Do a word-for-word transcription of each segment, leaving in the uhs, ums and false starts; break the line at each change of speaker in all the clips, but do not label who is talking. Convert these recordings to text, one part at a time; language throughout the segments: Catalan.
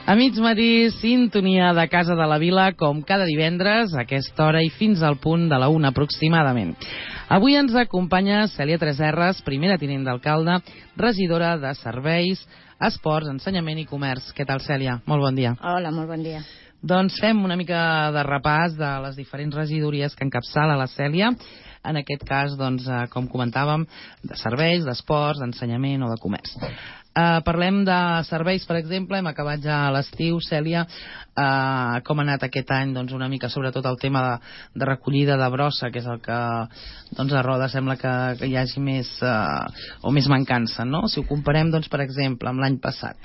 A mig matí, sintonia de Casa de la Vila, com cada divendres, a aquesta hora i fins al punt de la una aproximadament. Avui ens acompanya Cèlia Tresserras, primera tinent d'alcalde, regidora de Serveis, Esports, Ensenyament i Comerç. Què tal, Cèlia? Molt bon dia.
Hola, molt bon dia.
Doncs fem una mica de repàs de les diferents regidories que encapçala la Cèlia. En aquest cas, doncs, com comentàvem, de serveis, d'esports, d'ensenyament o de comerç. Uh, parlem de serveis, per exemple. Hem acabat ja a l'estiu, Cèlia. Uh, com ha anat aquest any? Doncs una mica sobretot el tema de, de recollida de brossa, que és el que doncs, a Roda sembla que, que hi hagi més uh, o més mancança, no? Si ho comparem, doncs, per exemple, amb l'any passat.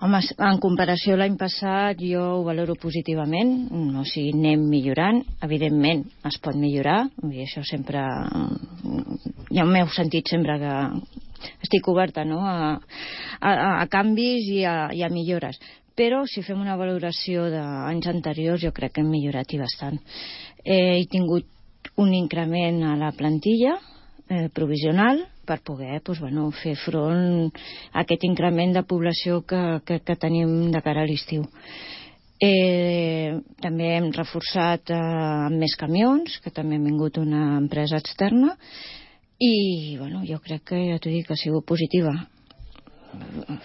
Home, en comparació a l'any passat jo ho valoro positivament, o sigui, anem millorant. Evidentment es pot millorar, i això sempre ja m'heu sentit sempre que estic oberta, no? a, a, a canvis i a, i a millores, però si fem una valoració d'anys anteriors jo crec que hem millorat i bastant. Eh, he tingut un increment a la plantilla eh, provisional per poder doncs, bueno, fer front a aquest increment de població que, que, que tenim de cara a l'estiu. Eh, també hem reforçat eh, amb més camions, que també hem vingut una empresa externa, i bueno, jo crec que ja t'ho dic, que ha sigut positiva.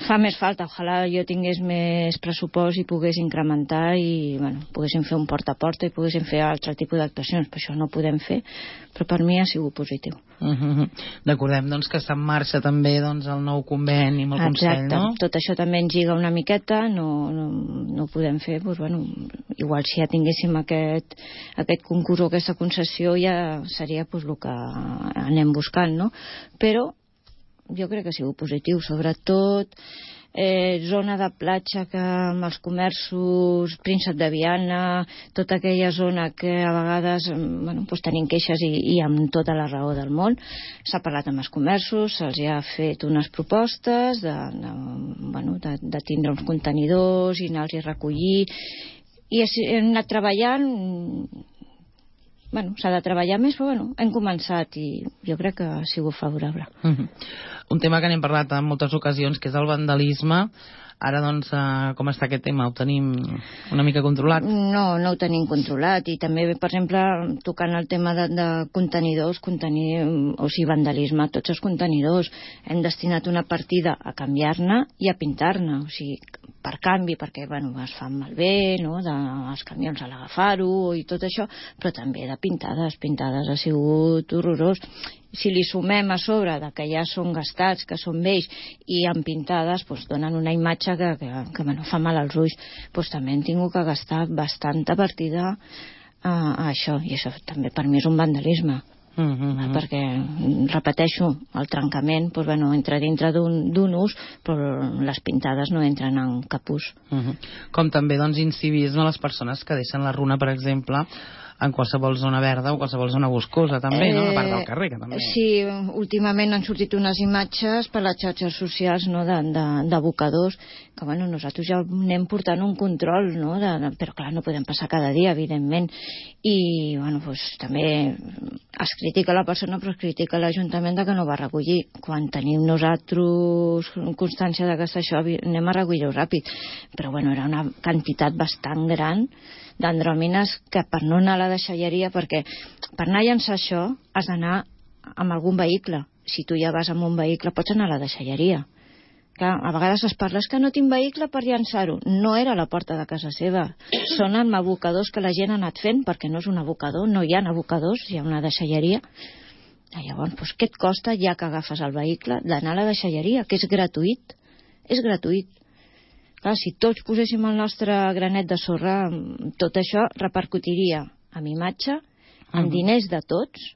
Fa més falta, ojalà jo tingués més pressupost i pogués incrementar i bueno, poguéssim fer un porta a porta i poguéssim fer altre tipus d'actuacions, però això no ho podem fer, però per mi ha sigut positiu.
Uh-huh. Recordem doncs, que està en marxa també doncs, el nou conveni amb el Consell,
Exacte.
No?
Tot això també ens lliga una miqueta, no, no, no ho podem fer, doncs, bueno, igual si ja tinguéssim aquest, aquest concurs o aquesta concessió ja seria doncs, el que anem buscant, no? Però jo crec que ha sigut positiu, sobretot eh, zona de platja que amb els comerços, Príncep de Viana, tota aquella zona que a vegades bueno, doncs tenim queixes i, i amb tota la raó del món. S'ha parlat amb els comerços, se'ls ha fet unes propostes de, de, bueno, de, de tindre uns contenidors i anar-los a recollir, i hem anat treballant. Bueno, s'ha de treballar més, però bueno, hem començat i jo crec que ha sigut favorable.
Uh-huh. Un tema que n'hem parlat en moltes ocasions, que és el vandalisme. Ara, doncs, eh, com està aquest tema? Ho tenim una mica controlat?
No, no ho tenim controlat. I també, per exemple, tocant el tema de, de contenidors, contenir, o sigui, vandalisme, tots els contenidors, hem destinat una partida a canviar-ne i a pintar-ne. O sigui, per canvi, perquè, bueno, es fan malbé, no?, de, els camions a l'agafar-ho i tot això, però també de pintades. Pintades ha sigut horrorós. Si li sumem a sobre de que ja són gastats, que són vells, i amb pintades, doncs donen una imatge que, que, que bueno, fa mal als ulls. Doncs també hem tingut que gastar bastanta partida a, a això, i això també per mi és un vandalisme. Uh -huh. Perquè, repeteixo, el trencament doncs, bueno, entra dintre d'un ús, però les pintades no entren en cap ús.
Uh -huh. Com també doncs, incivisme a les persones que deixen la runa, per exemple, en qualsevol zona verda o qualsevol zona boscosa també, eh, no? A part del carrer, que també...
Sí, últimament han sortit unes imatges per les xarxes socials, no?, d'abocadors, que bueno, nosaltres ja anem portant un control, no?, de, de, però clar, no podem passar cada dia, evidentment, i bueno, doncs també es critica la persona, però es critica l'Ajuntament de que no va recollir. Quan tenim nosaltres constància de que això, anem a recollir-ho ràpid, però bueno, era una quantitat bastant gran d'andròmines que per no anar a la deixalleria, perquè per anar a llançar això has d'anar amb algun vehicle. Si tu ja vas amb un vehicle pots anar a la deixalleria. Clar, a vegades es parla que no tinc vehicle per llançar-ho. No era a la porta de casa seva, són amb abocadors que la gent ha anat fent, perquè no és un abocador, no hi ha abocadors, hi ha una deixalleria. Llavors, doncs, què et costa ja que agafes el vehicle d'anar a la deixalleria, que és gratuït? És gratuït. Clar, si tots poséssim el nostre granet de sorra, tot això repercutiria en imatge, en diners de tots,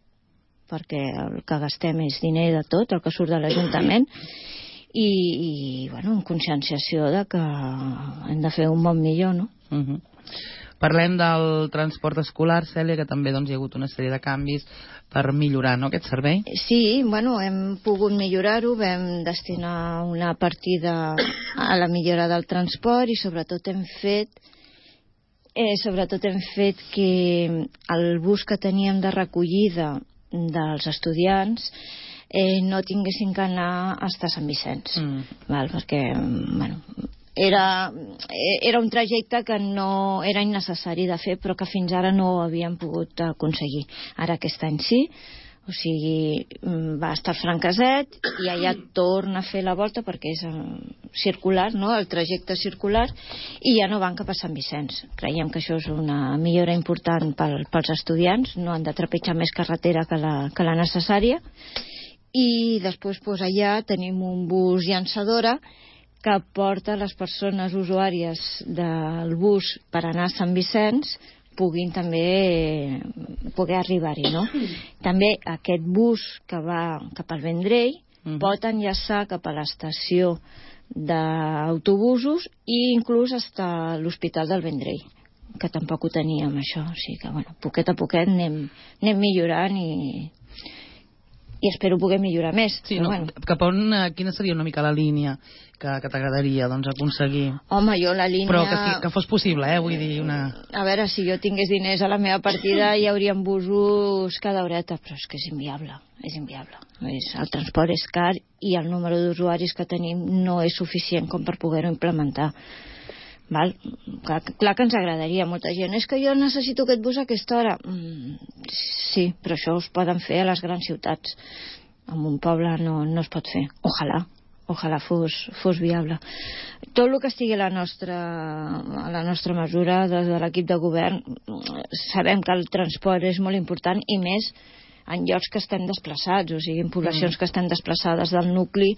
perquè el que gastem és diner de tot, el que surt de l'Ajuntament, i, i bueno, en conscienciació de que hem de fer un món millor, no?
Uh -huh. Parlem del transport escolar, Cèlia, que també doncs, hi ha hagut una sèrie de canvis per millorar, no?, aquest servei.
Sí, bueno, hem pogut millorar-ho, vam destinar una partida a la millora del transport i sobretot hem fet eh, sobretot hem fet que el bus que teníem de recollida dels estudiants eh, no tinguessin que anar fins a Sant Vicenç, mm. val? Perquè bueno, era, era un trajecte que no era innecessari de fer, però que fins ara no ho havíem pogut aconseguir. Ara aquest any sí, o sigui, va estar Francaset i allà torna a fer la volta perquè és circular, no?, el trajecte circular, i ja no van cap a Sant Vicenç. Creiem que això és una millora important pel, pels estudiants, no han de trepitjar més carretera que la, que la necessària. I després pues, allà tenim un bus llançadora que porta les persones usuàries del bus per anar a Sant Vicenç puguin també poder arribar-hi, no? També aquest bus que va cap al Vendrell uh-huh. pot enllaçar cap a l'estació d'autobusos i inclús fins a l'Hospital del Vendrell, que tampoc ho teníem això, o sigui que bueno, poquet a poquet anem, anem millorant i i espero poder millorar més.
Sí,
però
no,
bueno.
Cap on, quina seria una mica la línia que, que t'agradaria doncs, aconseguir?
Home, jo la línia...
Però que, que fos possible, eh? Vull dir, una...
A veure, si jo tingués diners a la meva partida hi haurien busos cada horeta, però és que és inviable, és inviable. És, el transport és car i el número d'usuaris que tenim no és suficient com per poder-ho implementar. Val? Clar, clar que ens agradaria. Molta gent, és que jo necessito aquest bus a aquesta hora. Mm, sí, però això us poden fer a les grans ciutats. En un poble no, no es pot fer. Ojalà, ojalà fos, fos viable. Tot el que estigui a la nostra, a la nostra mesura des de l'equip de govern, sabem que el transport és molt important i més en llocs que estem desplaçats, o sigui, en poblacions mm. que estan desplaçades del nucli,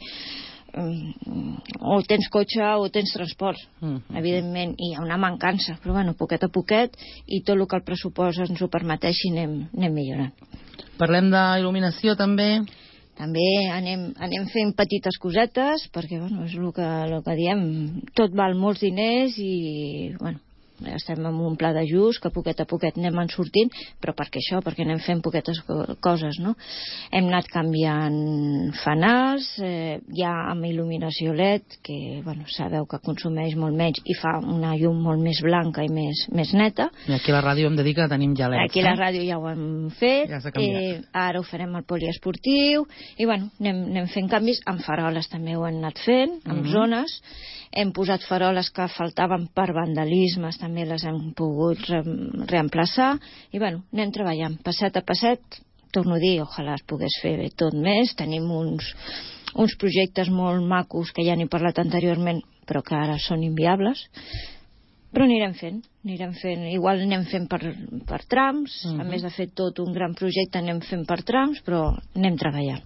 o tens cotxe o tens transport, uh-huh. evidentment, i hi ha una mancança, però bueno, poquet a poquet, i tot el que el pressupost ens ho permeteixi anem, anem millorant.
Parlem d'il·luminació també?
També anem, anem fent petites cosetes, perquè bueno, és el que, el que diem, tot val molts diners i bueno, estem en un pla d'ajust que poquet a poquet anem en sortint, però per què això? Perquè anem fent poquetes coses, no? Hem anat canviant fanals, eh, ja amb il·luminació L E D, que bueno, sabeu que consumeix molt menys i fa una llum molt més blanca i més, més neta.
I aquí a la ràdio hem de dir que tenim ja L E Ds.
Aquí a la ràdio ja ho hem fet,
ja s'ha canviat.
Eh, ara ho farem al poliesportiu, i bueno, anem, anem fent canvis, amb faroles també ho hem anat fent, amb mm-hmm. zones. Hem posat faroles que faltaven per vandalismes, també les hem pogut re reemplaçar, i bueno, anem treballant, passet a passet, torno a dir, ojalà es pogués fer bé tot més, tenim uns, uns projectes molt macos que ja n'he parlat anteriorment, però que ara són inviables, però anirem fent, anirem fent, igual anem fent per, per trams, uh-huh. a més de fer tot un gran projecte anem fent per trams, però anem treballant.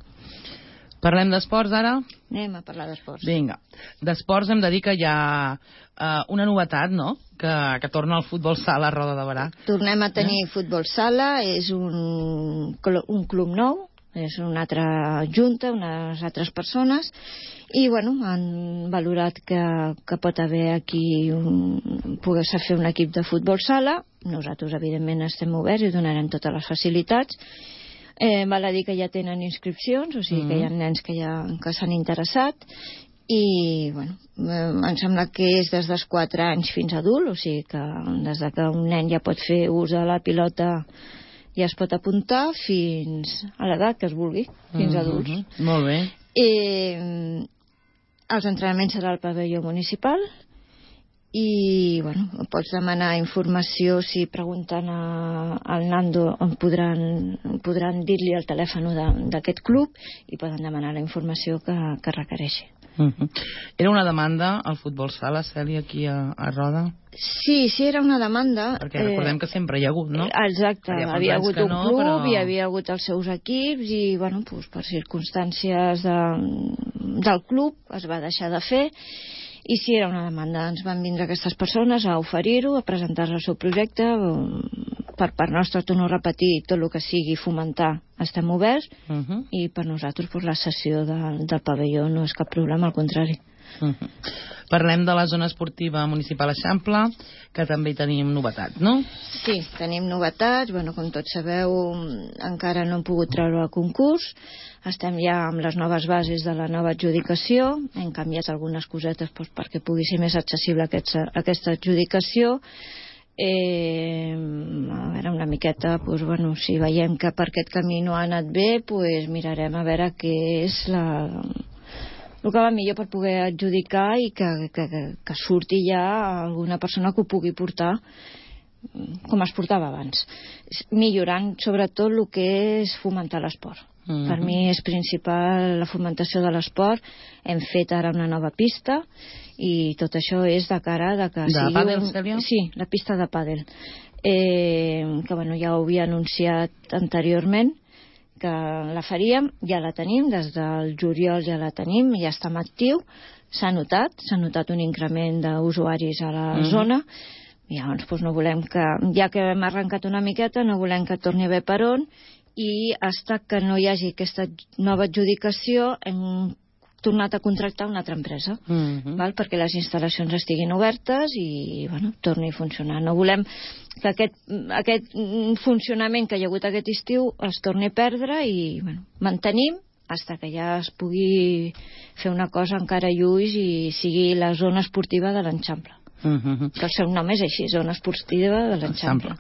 Parlem d'esports ara?
Anem a parlar d'esports.
Vinga. D'esports hem de dir que hi ha uh, una novetat, no?, que, que torna al futbol sala a Roda de Berà.
Tornem a tenir eh? futbol sala, és un, un club nou, és una altra junta, unes altres persones, i bueno, han valorat que, que pot haver aquí un, poder-se fer un equip de futbol sala. Nosaltres evidentment estem oberts i donarem totes les facilitats. Eh, val a dir que ja tenen inscripcions, o sigui mm. que hi ha nens que ja que s'han interessat, i bueno, eh, em sembla que és des dels quatre anys fins a adult, o sigui que des de que un nen ja pot fer ús de la pilota ja es pot apuntar fins a l'edat que es vulgui, fins a adults.
Mm-hmm. Molt bé.
Eh, els entrenaments serà al pavelló municipal, i bueno, pots demanar informació si pregunten a, al Nando on podran, podran dir-li el telèfon d'aquest club i poden demanar la informació que, que requereixi.
Uh-huh. Era una demanda al futbol sala, Cèlia, aquí a, a Roda?
Sí, sí, era una demanda.
Perquè recordem eh, que sempre hi ha hagut, no?
Exacte, hi havia hagut un
no,
club,
però...
hi havia hagut els seus equips i bueno, doncs, per circumstàncies de, del club es va deixar de fer. I sí, era una demanda. Ens van vindre aquestes persones a oferir-ho, a presentar el seu projecte. Per part nostra, torno a repetir, tot el que sigui fomentar estem oberts, uh-huh. i per nosaltres pues, la sessió de, del pavelló no és cap problema, al contrari.
Uh-huh. Parlem de la zona esportiva municipal Eixample, que també hi tenim novetats, no?
Sí, tenim novetats. Bueno, com tots sabeu, encara no hem pogut treure el concurs. Estem ja amb les noves bases de la nova adjudicació. Hem canviat algunes cosetes doncs, perquè pugui ser més accessible aquesta, aquesta adjudicació. Eh, a veure, una miqueta, doncs, bueno, si veiem que per aquest camí no ha anat bé, doncs mirarem a veure què és la... el que va millor per poder adjudicar i que, que, que, que surti ja alguna persona que ho pugui portar com es portava abans, millorant sobretot el que és fomentar l'esport. Uh-huh. Per mi és principal la fomentació de l'esport. Hem fet ara una nova pista i tot això és de cara de que
de
sigui
pàdel,
un...
Cèlia?
Sí, la pista de pàdel. Eh, que bueno, ja ho havia anunciat anteriorment que la faríem, ja la tenim, des del juliol ja la tenim, ja està en actiu, s'ha notat, s'ha notat un increment d'usuaris a la uh-huh. zona. I llavors doncs, no volem que, ja que hem arrencat una miqueta, no volem que torni a haver per on, i hasta que no hi hagi aquesta nova adjudicació hem tornat a contractar una altra empresa, uh-huh. val? Perquè les instal·lacions estiguin obertes i bueno, torni a funcionar. No volem que aquest, aquest funcionament que hi ha hagut aquest estiu es torni a perdre i bueno, mantenim fins que ja es pugui fer una cosa encara lluix i sigui la zona esportiva de l'Eixample. Uh-huh. Que el seu nom és així, zona esportiva de l'Eixample.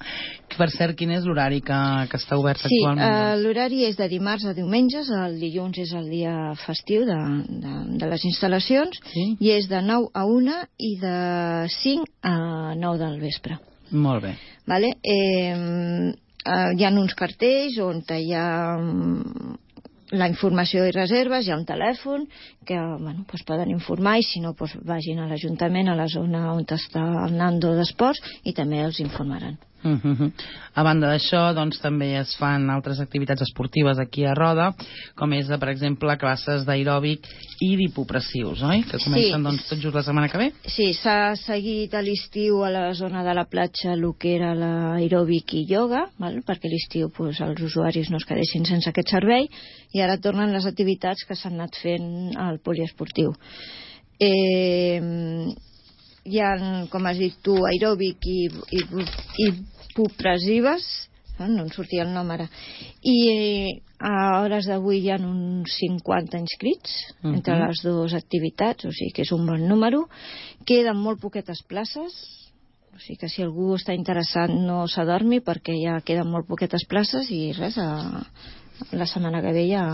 Per cert, quin és l'horari que, que està obert
sí,
actualment?
Sí, uh, l'horari és de dimarts a diumenges, el dilluns és el dia festiu de, de, de les instal·lacions, sí? I és de nou a una i de cinc a nou del vespre.
Molt bé.
Vale? Eh, uh, hi ha uns cartells on hi ha la informació i reserves, hi ha un telèfon que bueno, pues poden informar i si no pues vagin a l'Ajuntament, a la zona on està el Nando d'Esports i també els informaran.
Uh-huh. A banda d'això, doncs, també es fan altres activitats esportives aquí a Roda, com és, per exemple, classes d'aeròbic i d'hipopressius, oi? Que comencen sí. doncs, tot just la setmana que ve?
Sí, s'ha seguit a l'estiu a la zona de la platja el que era l'aeròbic i ioga, val? Perquè a l'estiu pues, els usuaris no es quedessin sense aquest servei, i ara tornen les activitats que s'han anat fent al poliesportiu. Eh... Hi ha, com has dit tu, aeròbic i, i, i hipopressives, no, no em sortia el nom ara, i a hores d'avui hi ha uns cinquanta inscrits uh-huh. entre les dues activitats, o sigui que és un bon número. Queden molt poquetes places, o sigui que si algú està interessat no s'adormi perquè ja queden molt poquetes places i res, a, la setmana que ve ja,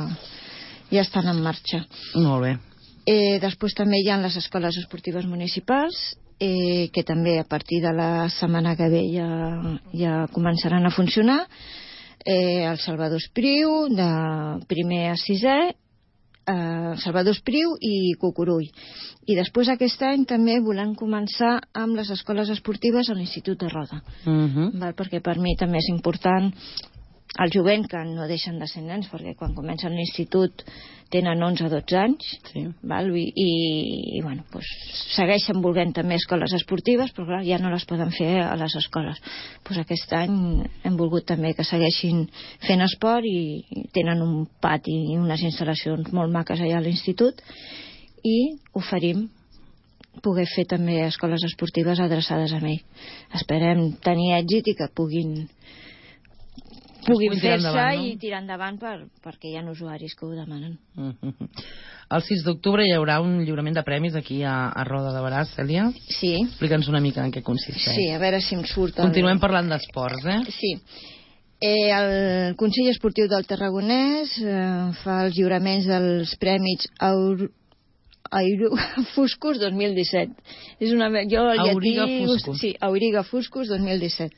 ja estan en marxa.
Molt bé.
Eh, després també hi ha les escoles esportives municipals, eh, que també a partir de la setmana que ve ja, ja començaran a funcionar. Eh, el Salvador Espriu, de primer a sisè, eh, Salvador Espriu i Cucurull. I després aquest any també volem començar amb les escoles esportives a l'Institut de Roda. Uh-huh. Val? Perquè per mi també és important el jovent, que no deixen de ser nens, perquè quan comencen l'institut tenen onze o dotze anys, sí. val? I, i, i bueno, pues, segueixen volent també escoles esportives, però clar, ja no les poden fer a les escoles. Pues aquest any hem volgut també que segueixin fent esport i, i tenen un pati i unes instal·lacions molt maques allà a l'institut i oferim poder fer també escoles esportives adreçades a ell. Esperem tenir èxit i que puguin puguin fer-se endavant, no? I tirar endavant per, perquè hi ha usuaris que ho demanen.
Uh-huh. El sis d'octubre hi haurà un lliurament de premis aquí a, a Roda de Berà, Cèlia?
Sí.
Explica'ns una mica en què consisteix.
Sí, a veure si em surt... El...
Continuem parlant d'esports, eh?
Sí. Eh, el Consell Esportiu del Tarragonès eh, fa els lliuraments dels premis Aur... Airo... Fuscus dos mil disset. És una... Jo, el
Auriga
llatí...
Fuscus.
Sí, Auriga Fuscus dos mil disset.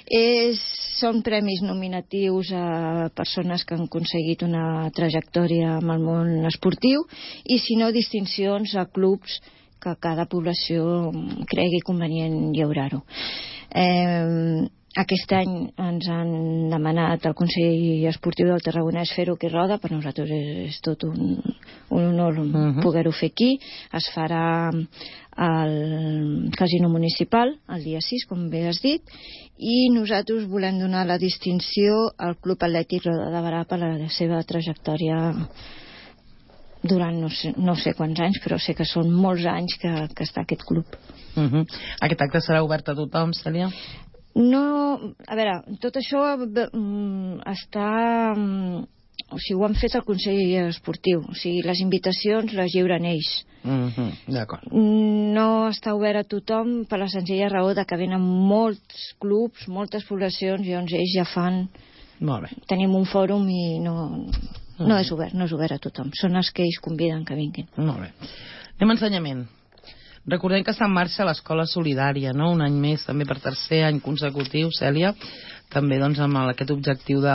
És, són premis nominatius a persones que han aconseguit una trajectòria amb el món esportiu i, si no, distincions a clubs que cada població cregui convenient lliurar-ho. Eh, aquest any ens han demanat al Consell Esportiu del Tarragonès fer-ho aquí a Roda. Per nosaltres és, és tot un, un honor uh-huh. poder-ho fer aquí. Es farà al Casino Municipal el dia sis, com bé has dit, i nosaltres volem donar la distinció al Club Atlètic Roda de Berà per la seva trajectòria durant no sé, no sé quants anys, però sé que són molts anys que, que està aquest club.
Uh-huh. Aquest acte serà obert a tothom, Cèlia?
No, a veure, tot això mm, està... Mm, o sigui, ho han fet el Consell Esportiu, o sigui, les invitacions les lliuren ells.
Uh-huh. D'acord.
No està obert a tothom per la senzilla raó de que venen molts clubs, moltes poblacions, i llavors ells ja fan...
Molt bé.
Tenim un fòrum i no, Mm. No és obert, no és obert a tothom. Són els que ells conviden que vinguin.
Molt bé. Anem a ensenyament. Recordem que està en marxa l'Escola Solidària, no? Un any més, també per tercer any consecutiu, Cèlia, també doncs, amb aquest objectiu de,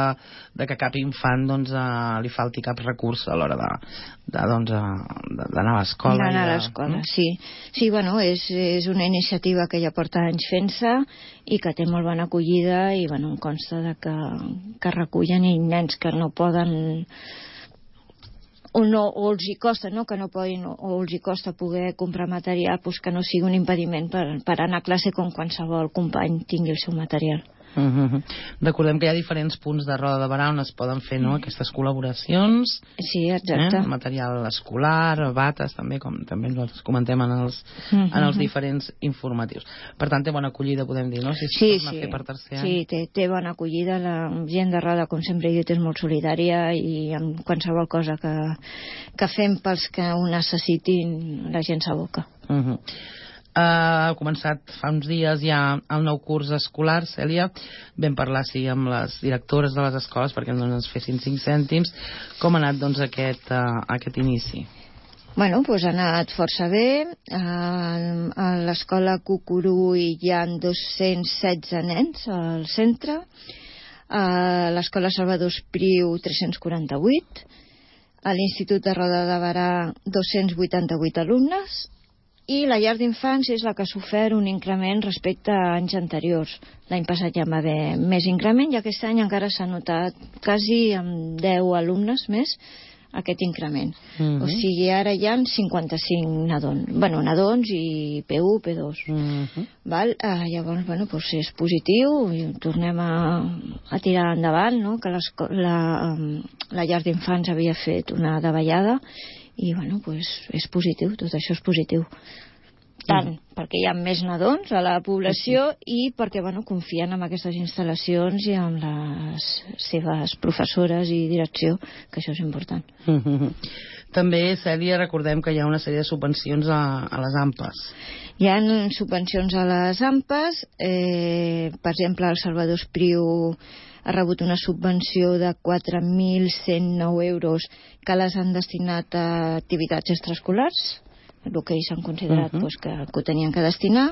de que cap infant doncs, eh, li falti cap recurs a l'hora d'anar de, doncs, a l'escola.
D'anar a l'escola, mm? sí. Sí, bueno, és, és una iniciativa que ja porta anys fent-se i que té molt bona acollida i bueno, em consta de que, que recullen i nens que no poden o, no, o els hi costa, no? que no poden, o els hi costa poder comprar material, pues que no sigui un impediment per, per anar a classe com qualsevol company tingui el seu material.
Uh-huh. Recordem que hi ha diferents punts de Roda de Berà on es poden fer, no?, aquestes col·laboracions.
Sí, exacte.
Eh? Material escolar, bates, també, com també ens comentem en els, uh-huh. en els diferents informatius. Per tant, té bona acollida, podem dir, no? Si es
sí,
torna
sí.
a fer per tercer any.
Sí, té, té bona acollida. La gent de Roda, com sempre he dit, és molt solidària i amb qualsevol cosa que, que fem pels que ho necessitin, la gent s'aboca.
Uh-huh. Uh, ha començat fa uns dies ja el nou curs escolar, Cèlia. Vam parlar sí, amb les directores de les escoles perquè no ens fessin cinc cèntims. Com ha anat doncs, aquest, uh, aquest inici?
Bueno, doncs ha anat força bé. Uh, a l'escola Cucurull hi ha dos-cents setze nens al centre. A l'escola Salvador Espriu tres-cents quaranta-vuit. A l'Institut de Roda de Berà dos-cents vuitanta-vuit alumnes. I la llar d'infants és la que ha sofert un increment respecte a anys anteriors. L'any passat ja va haver més increment i aquest any encara s'ha notat quasi amb deu alumnes més aquest increment. Uh-huh. O sigui, ara hi ha cinquanta-cinc nadons. Bueno, nadons i P u, P dos. Uh-huh. Val? Uh, llavors, bueno, doncs és positiu i tornem a, a tirar endavant, no?, que la, um, la llar d'infants havia fet una davallada i bueno, pues, és positiu, tot això és positiu tant mm. perquè hi ha més nadons a la població sí. i perquè bueno, confien en aquestes instal·lacions i en les seves professores i direcció, que això és important.
Mm-hmm. També, Cèlia, recordem que hi ha una sèrie de subvencions a, a les A M P Es.
Hi ha subvencions a les A M P Es, eh, per exemple, el Salvador Espriu ha rebut una subvenció de quatre mil cent nou euros que les han destinat a activitats extraescolars, el que ells han considerat uh-huh. pues, que, que ho tenien que destinar.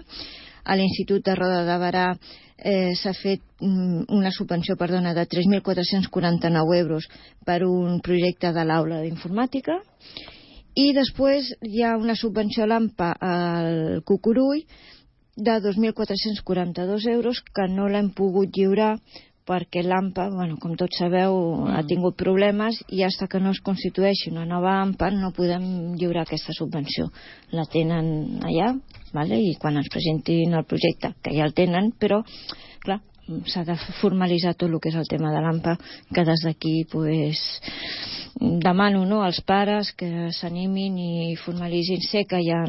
A l'Institut de Roda de Berà eh, s'ha fet mm, una subvenció perdona, de tres mil quatre-cents quaranta-nou euros per un projecte de l'aula d'informàtica. I després hi ha una subvenció a l'A M P A al Cucurull de dos mil quatre-cents quaranta-dos euros que no l'hem pogut lliurar perquè l'A M P A, bueno, com tots sabeu, mm. ha tingut problemes i fins que no es constitueixi una nova A M P A no podem lliurar aquesta subvenció. La tenen allà, vale? I quan ens presentin el projecte, que ja el tenen, però, clar, s'ha de formalitzar tot el que és el tema de l'A M P A, que des d'aquí, pues, demano, no?, als pares que s'animin i formalitzin. Sé que hi ha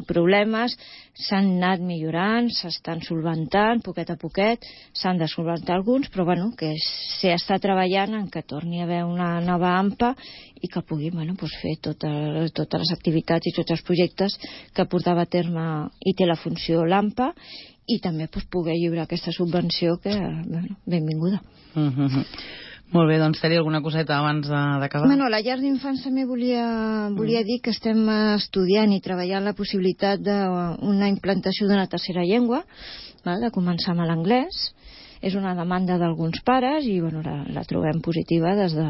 problemes, s'han anat millorant, s'estan solventant poquet a poquet, s'han de solventar alguns, però bueno, que s'està treballant en que torni a haver una nova A M P A i que pugui, bueno, pues fer tota, totes les activitats i tots els projectes que portava a terme i té la funció l'A M P A i també pues, poder lliurar aquesta subvenció que, bueno, benvinguda.
Mm-hmm. Molt bé, doncs, Cèlia, alguna coseta abans d'acabar?
Bueno, la llar d'infants també volia, volia mm. dir que estem estudiant i treballant la possibilitat d'una implantació d'una tercera llengua, val? De començar amb l'anglès. És una demanda d'alguns pares i bueno, la, la trobem positiva des de,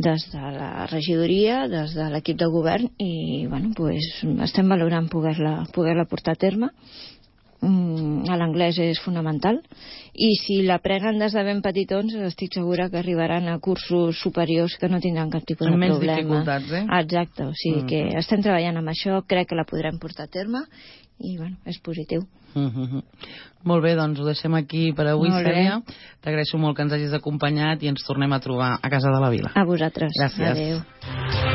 des de la regidoria, des de l'equip de govern i bueno, pues, estem valorant poder-la poder-la portar a terme. L'anglès és fonamental i si l'aprenen des de ben petitons estic segura que arribaran a cursos superiors que no tindran cap tipus de
menys
problema.
Dificultats, eh?
Exacte, o sigui mm. que estem treballant amb això, crec que la podrem portar a terme i bueno, és positiu.
Mm-hmm. Molt bé, doncs ho deixem aquí per avui, Cèlia. T'agraeixo molt que ens hagis acompanyat i ens tornem a trobar a Casa de la Vila.
A vosaltres.
Gràcies.
Adéu.